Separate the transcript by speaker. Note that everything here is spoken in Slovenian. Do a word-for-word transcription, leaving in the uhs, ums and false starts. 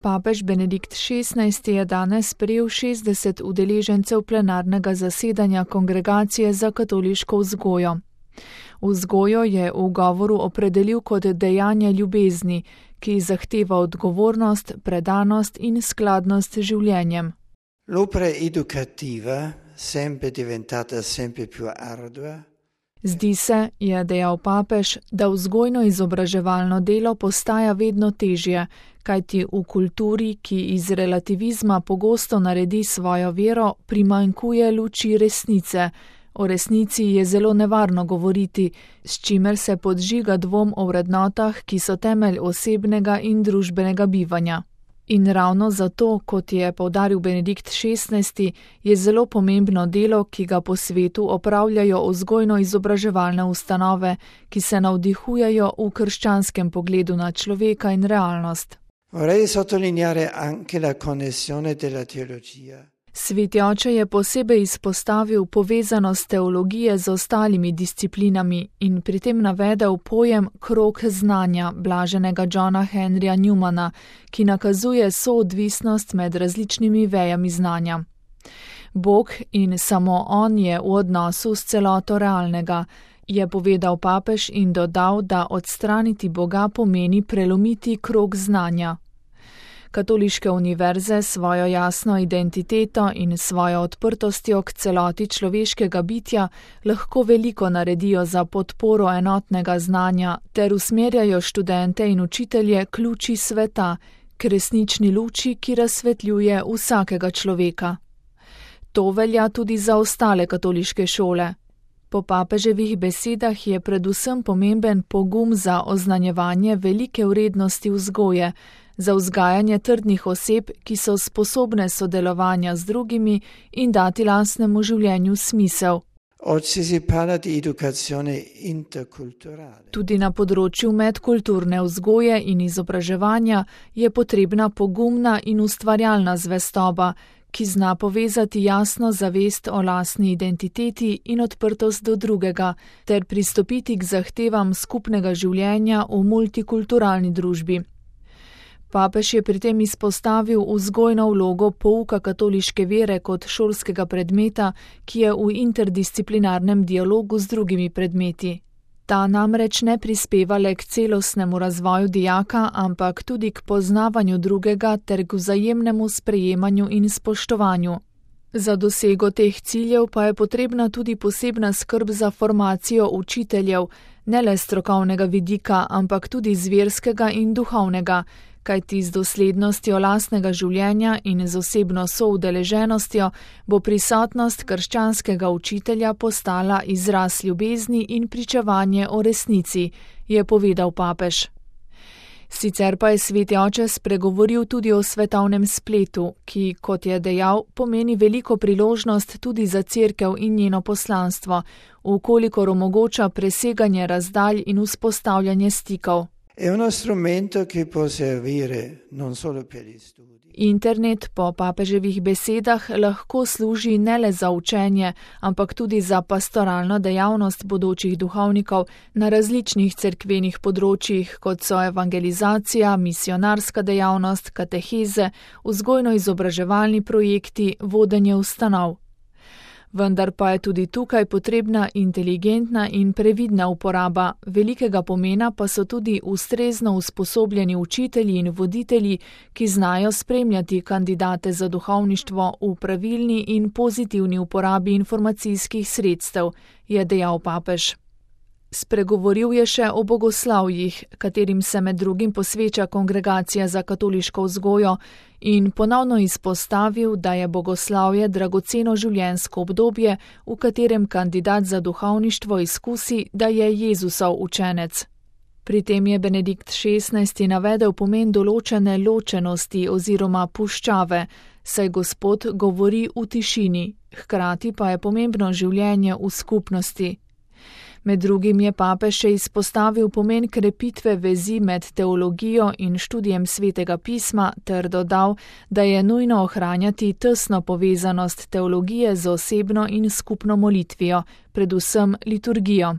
Speaker 1: Papež Benedikt šestnajsti je danes sprejel šestdeset udeležencev plenarnega zasedanja Kongregacije za katoliško vzgojo. Vzgojo je v govoru opredelil kot dejanje ljubezni, ki zahteva odgovornost, predanost in skladnost z življenjem.
Speaker 2: L'opera educativa, sempre diventata sempre più ardua.
Speaker 1: Zdi se, je dejal papež, da vzgojno-izobraževalno delo postaja vedno težje, kajti v kulturi, ki iz relativizma pogosto naredi svojo vero, primanjkuje luči resnice. O resnici je zelo nevarno govoriti, s čimer se podžiga dvom o vrednotah, ki so temelj osebnega in družbenega bivanja. In ravno zato, kot je poudaril Benedikt šestnajsti, je zelo pomembno delo, ki ga po svetu opravljajo vzgojno-izobraževalne ustanove, ki se navdihujejo v krščanskem pogledu na človeka in realnost.
Speaker 2: Vorrei sottolineare anche la connessione della teologia.
Speaker 1: Sveti oče je posebej izpostavil povezanost teologije z ostalimi disciplinami in pri tem navedel pojem krog znanja blaženega Johna Henryja Newmana, ki nakazuje soodvisnost med različnimi vejami znanja. Bog in samo on je v odnosu s celoto realnega, je povedal papež in dodal, da odstraniti Boga pomeni prelomiti krog znanja. Katoliške univerze svojo jasno identiteto in svojo odprtostjo k celoti človeškega bitja lahko veliko naredijo za podporo enotnega znanja ter usmerjajo študente in učitelje k luči sveta, k resnični luči, ki razsvetljuje vsakega človeka. To velja tudi za ostale katoliške šole. Po papeževih besedah je predvsem pomemben pogum za oznanjevanje velike vrednosti vzgoje, za vzgajanje trdnih oseb, ki so sposobne sodelovanja z drugimi in dati lastnemu življenju smisel. Tudi na področju medkulturne vzgoje in izobraževanja je potrebna pogumna in ustvarjalna zvestoba, ki zna povezati jasno zavest o lastni identiteti in odprtost do drugega, ter pristopiti k zahtevam skupnega življenja v multikulturalni družbi. Papež je pri tem izpostavil vzgojno vlogo pouka katoliške vere kot šolskega predmeta, ki je v interdisciplinarnem dialogu z drugimi predmeti. Ta namreč ne prispeva le k celostnemu razvoju dijaka, ampak tudi k poznavanju drugega ter k vzajemnemu sprejemanju in spoštovanju. Za dosego teh ciljev pa je potrebna tudi posebna skrb za formacijo učiteljev, ne le strokovnega vidika, ampak tudi zverskega in duhovnega, kajti z doslednostjo lastnega življenja in z osebno soudeleženostjo bo prisotnost krščanskega učitelja postala izraz ljubezni in pričevanje o resnici, je povedal papež. Sicer pa je sveti oče spregovoril tudi o svetovnem spletu, ki, kot je dejal, pomeni veliko priložnost tudi za cerkev in njeno poslanstvo, vkolikor omogoča preseganje razdalj in vzpostavljanje stikov.
Speaker 2: È uno strumento che può servire non solo per gli studi.
Speaker 1: Internet po papeževih besedah lahko služi ne le za učenje, ampak tudi za pastoralno dejavnost bodočih duhovnikov na različnih cerkvenih področjih, kot so evangelizacija, misionarska dejavnost, kateheze, vzgojno-izobraževalni projekti, vodenje ustanov. Vendar pa je tudi tukaj potrebna inteligentna in previdna uporaba, velikega pomena pa so tudi ustrezno usposobljeni učitelji in voditelji, ki znajo spremljati kandidate za duhovništvo v pravilni in pozitivni uporabi informacijskih sredstev, je dejal papež. Spregovoril je še o bogoslavjih, katerim se med drugim posveča Kongregacija za katoliško vzgojo, in ponovno izpostavil, da je bogoslavje dragoceno življenjsko obdobje, v katerem kandidat za duhovništvo izkusi, da je Jezusov učenec. Pri tem je Benedikt šestnajsti navedel pomen določene ločenosti oziroma puščave, saj Gospod govori v tišini, hkrati pa je pomembno življenje v skupnosti. Med drugim je papež še izpostavil pomen krepitve vezi med teologijo in študijem svetega pisma ter dodal, da je nujno ohranjati tesno povezanost teologije z osebno in skupno molitvijo, predvsem liturgijo.